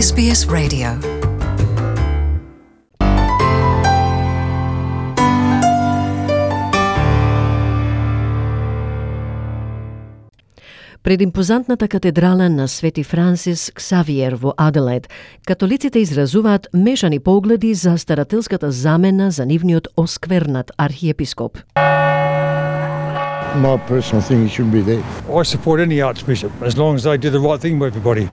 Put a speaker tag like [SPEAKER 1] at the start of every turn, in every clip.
[SPEAKER 1] SBS Radio. Пред импозантната катедрала на Свети Франсис Ксавиер во Аделаид, католиците изразуваат мешани погледи за старателската замена за нивниот осквернат архиепископ.
[SPEAKER 2] My personal thing, he shouldn't be there.
[SPEAKER 3] I support any archbishop as long as they do the right thing for everybody.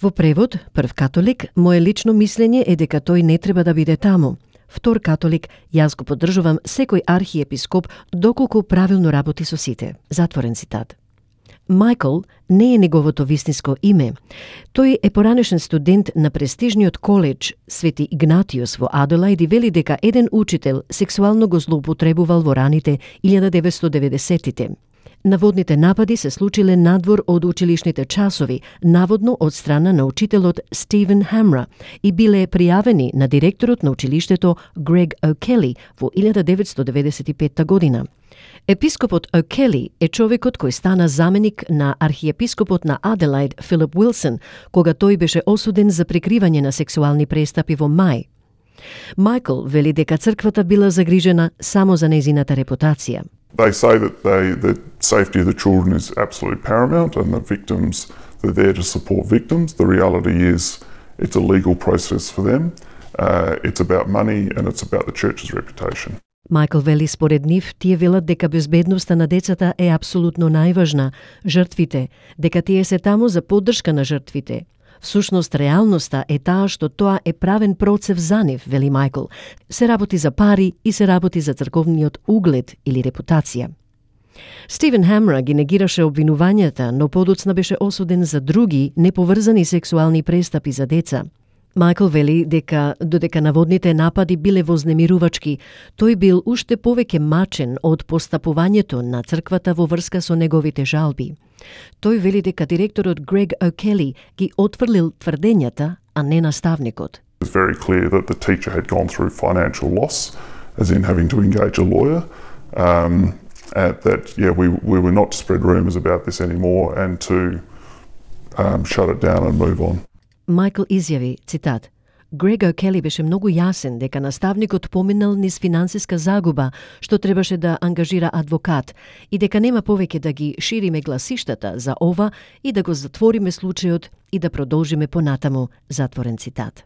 [SPEAKER 1] Во превод, прв католик, мое лично мислење е дека тој не треба да биде таму. Втор католик, јас го поддржувам секој архиепископ доколку правилно работи со сите. Затворен цитат. Майкл не е неговото вистинско име. Тој е поранешен студент на престижниот коледж Свети Игнатиус во Аделаид и вели дека еден учител сексуално го злоупотребувал во раните 1990-тите. Наводните напади се случиле надвор од училишните часови, наводно од страна на учителот Стивен Хамра и биле пријавени на директорот на училиштето Грег О'Кели во 1995 година. Епископот О'Кели е човекот кој стана заменик на архиепископот на Аделаид Филип Уилсон, кога тој беше осуден за прикривање на сексуални престапи во мај. Майкл вели дека црквата била загрижена само за нејзината репутација.
[SPEAKER 4] They say that the safety of the children is absolutely paramount and the victims, they're there to support victims. The reality is it's a legal process for them. It's about money and it's about the church's reputation.
[SPEAKER 1] Майкл вели според нив, тие велат дека безбедноста на децата е апсолутно најважна, жртвите, дека тие се таму за поддршка на жртвите. Всушност, реалноста е таа што тоа е правен процев за нив, вели Майкл. Се работи за пари и се работи за црковниот углед или репутација. Стивен Хамра ги негираше обвинувањата, но подоцна беше осуден за други неповрзани сексуални престапи за деца. Майкл вели дека додека наводните напади биле вознемирувачки, тој бил уште повеќе мачен од постапувањето на црквата во врска со неговите жалби. Тој вели дека директорот Грег О'Кели ги отфрлил тврдењата, а не наставникот.
[SPEAKER 4] It's very clear that the teacher had gone through financial loss, as in having to engage a lawyer, we were not to spread rumours about this anymore and to shut it down and move on.
[SPEAKER 1] Майкл изјави, цитат, Грег О'Кели беше многу јасен дека наставникот поминал низ финансиска загуба, што требаше да ангажира адвокат и дека нема повеќе да ги шириме гласиштата за ова и да го затвориме случајот и да продолжиме понатаму, затворен цитат.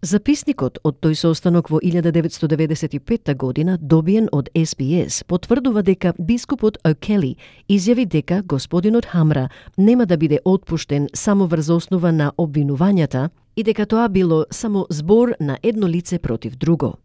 [SPEAKER 1] Записникот од тој состанок во 1995 година, добиен од SBS, потврдува дека бископот О'Кели изјави дека господинот Хамра нема да биде отпуштен само врз основа на обвинувањата и дека тоа било само збор на едно лице против друго.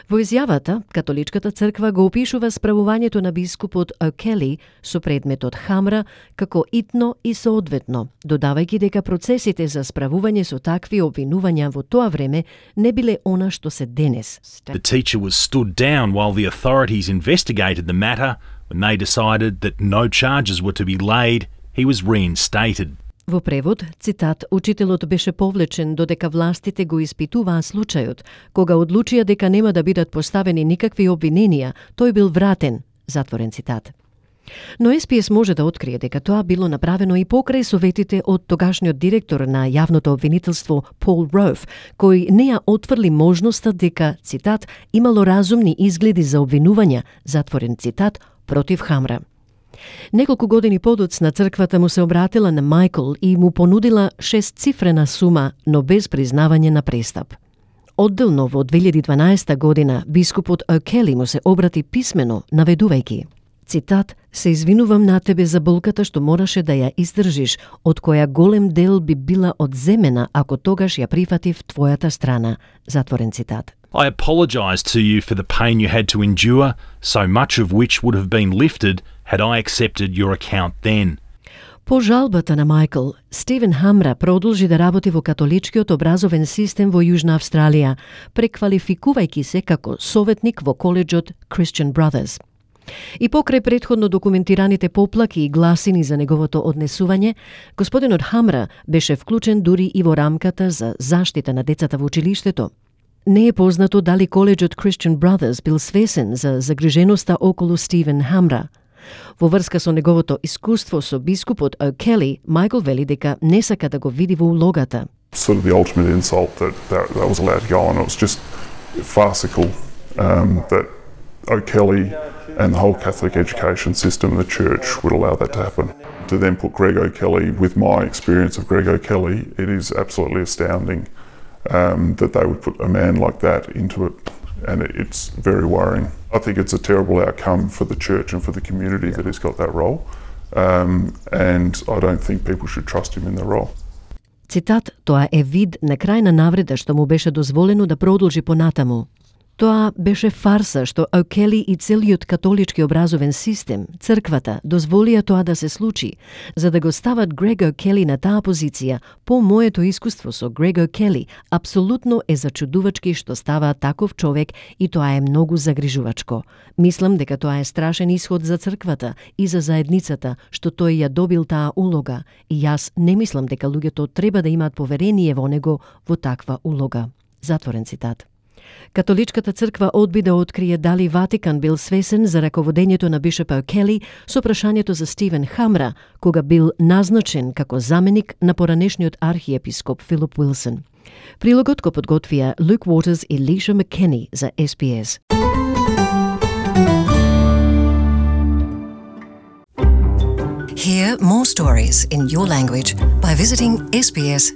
[SPEAKER 1] Во изјавата, католичката црква го опишува справувањето на бископот О'Кели со предметот Хамра како итно и соодветно, додавајќи дека процесите за справување со такви обвинувања во тоа време не биле она што се денес.
[SPEAKER 5] The teacher was stood down while the authorities investigated the matter. When they decided that no charges were to be laid, he was reinstated.
[SPEAKER 1] Во превод, цитат, учителот беше повлечен додека властите го испитуваа случајот. Кога одлучија дека нема да бидат поставени никакви обвиненија, тој бил вратен, затворен цитат. Но СПС може да открие дека тоа било направено и покрај советите од тогашниот директор на јавното обвинителство Пол Роуф, кој не ја отфрли можноста дека, цитат, имало разумни изгледи за обвинувања, затворен цитат, против Хамра. Неколку години подоцна црквата му се обратила на Майкл и му понудила 6-цифрена сума, но без признавање на престап. Одделно во 2012 година бископот О'Кели му се обрати писмено, наведувајќи, цитат, се извинувам на тебе за болката што мораше да ја издржиш, од која голем дел би била одземена ако тогаш ја прифатив твојата страна, затворен цитат.
[SPEAKER 5] I apologise to you for the pain you had to endure, so much of which would have been lifted had I accepted your account then.
[SPEAKER 1] По жалбата на Майкл, Стивен Хамра продолжи да работи во католичкиот образовен систем во Јужна Австралија, преквалификувајќи се како советник во коледжот Christian Brothers. И покрај претходно документираните поплаки и гласини за неговото однесување, господинот Хамра беше вклучен дури и во рамката за заштита на децата во училиштето. Не е познато дали коледжот Christian Brothers бил свесен за загриженоста околу Стивен Хамра. Во врска со неговото искуство со бискупот О'Кели, Майкл вели дека не сака да го види во улогата.
[SPEAKER 4] Sort of the ultimate insult that was allowed to go on. It was just farcical that O'Kelly and the whole Catholic education system and the church would allow that to happen. To then put Greg O'Kelly, with my experience of Greg O'Kelly, it is absolutely astounding that they would put a man like that into it, and it's very worrying. I think it's a terrible outcome for the church and for the community that he's got that role, and I don't think people should trust him in the role.
[SPEAKER 1] Цитат, тоа е вид на крајна навреда што му беше дозволено да продолжи понатаму. Тоа беше фарса што О'Кели и целиот католички образовен систем, црквата, дозволија тоа да се случи, за да го стават Грег О'Кели на таа позиција. По моето искуство со Грег О'Кели, апсолутно е зачудувачки што става таков човек и тоа е многу загрижувачко. Мислам дека тоа е страшен исход за црквата и за заедницата, што тој ја добил таа улога, и јас не мислам дека луѓето треба да имаат поверение во него во таква улога. Затворен цитат. Католичката црква одби да открие дали Ватикан бил свесен за раководењето на бишоп О'Кели со прашањето за Стивен Хамра, кога бил назначен како заменик на поранешниот архиепископ Филип Уилсон. Прилогот го подготвија Luke Waters и Лиша Маккени за SBS.
[SPEAKER 6] Hear more stories in your language by visiting sbs.com.au.